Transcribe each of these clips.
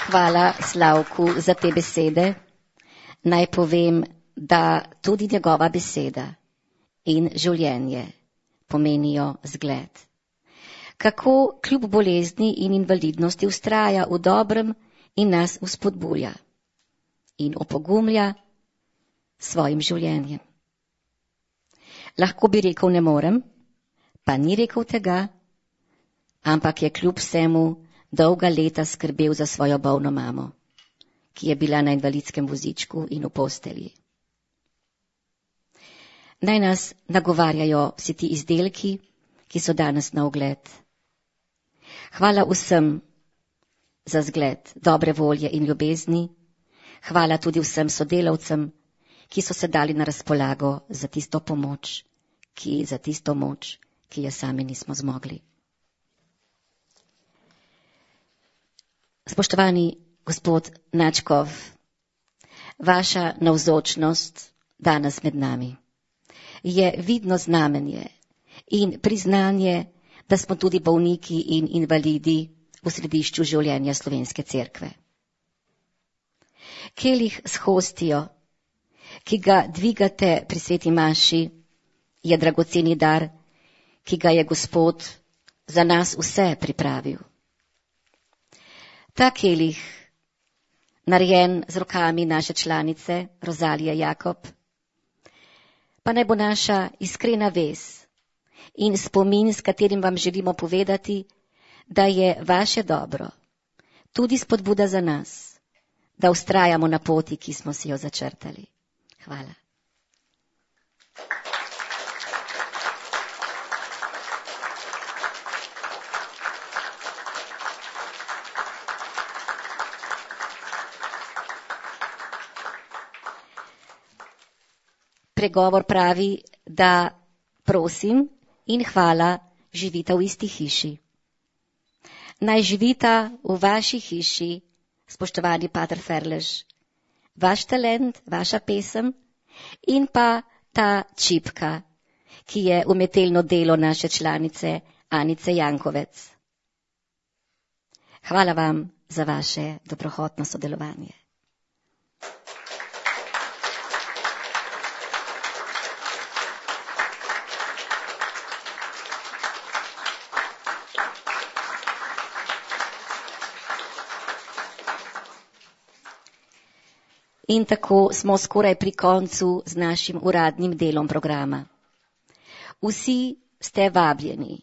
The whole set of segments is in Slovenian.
Hvala Slavku za te besede. Naj povem, da tudi njegova beseda in življenje pomenijo zgled. Kako kljub bolezni in invalidnosti vztraja v dobrem in nas vzpodbuja in opogumlja svojim življenjem. Lahko bi rekel ne morem, pa ni rekel tega, ampak je kljub vsemu dolga leta skrbel za svojo bolno mamo, ki je bila na invalidskem vozičku in v postelji. Naj nas nagovarjajo vsi ti izdelki, ki so danes na ogled. Hvala vsem za zgled dobre volje in ljubezni. Hvala tudi vsem sodelavcem, ki so se dali na razpolago za tisto pomoč, ki je sami nismo zmogli. Spoštovani gospod Načkov, vaša navzočnost danes med nami je vidno znamenje in priznanje, da smo tudi bolniki in invalidi v središču življenja Slovenske cerkve. Kelih s hostijo, ki ga dvigate pri sveti maši, je dragoceni dar, ki ga je Gospod za nas vse pripravil. Ta kelih, narejen z rokami naše članice Rozalije Jakob, pa naj bo naša iskrena vez in spomin, s katerim vam želimo povedati, da je vaše dobro tudi spodbuda za nas, da vztrajamo na poti, ki smo si jo začrtali. Hvala. Pregovor pravi, da prosim in hvala živita v isti hiši. Naj živita v vaši hiši, spoštovani pater Ferlež, vaš talent, vaša pesem in pa ta čipka, ki je umetelno delo naše članice Anice Jankovec. Hvala vam za vaše dobrohotno sodelovanje. In tako smo skoraj pri koncu z našim uradnim delom programa. Vsi ste vabljeni,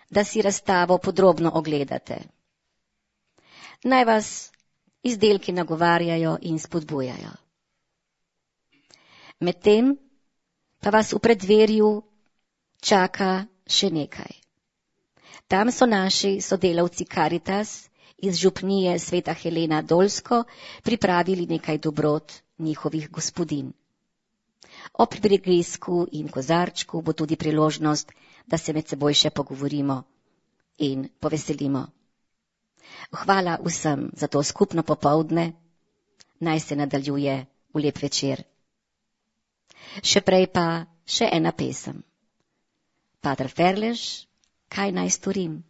da si razstavo podrobno ogledate. Naj vas izdelki nagovarjajo in spodbujajo. Medtem pa vas v preddverju čaka še nekaj. Tam so naši sodelavci Karitas iz župnije Sveta Helena Dolsko pripravili nekaj dobrot njihovih gospodinj. Ob prigrizku in kozarčku bo tudi priložnost, da se med seboj še pogovorimo in poveselimo. Hvala vsem za to skupno popoldne, naj se nadaljuje v lep večer. Še prej pa še ena pesem. Pater Ferlež, kaj naj storim?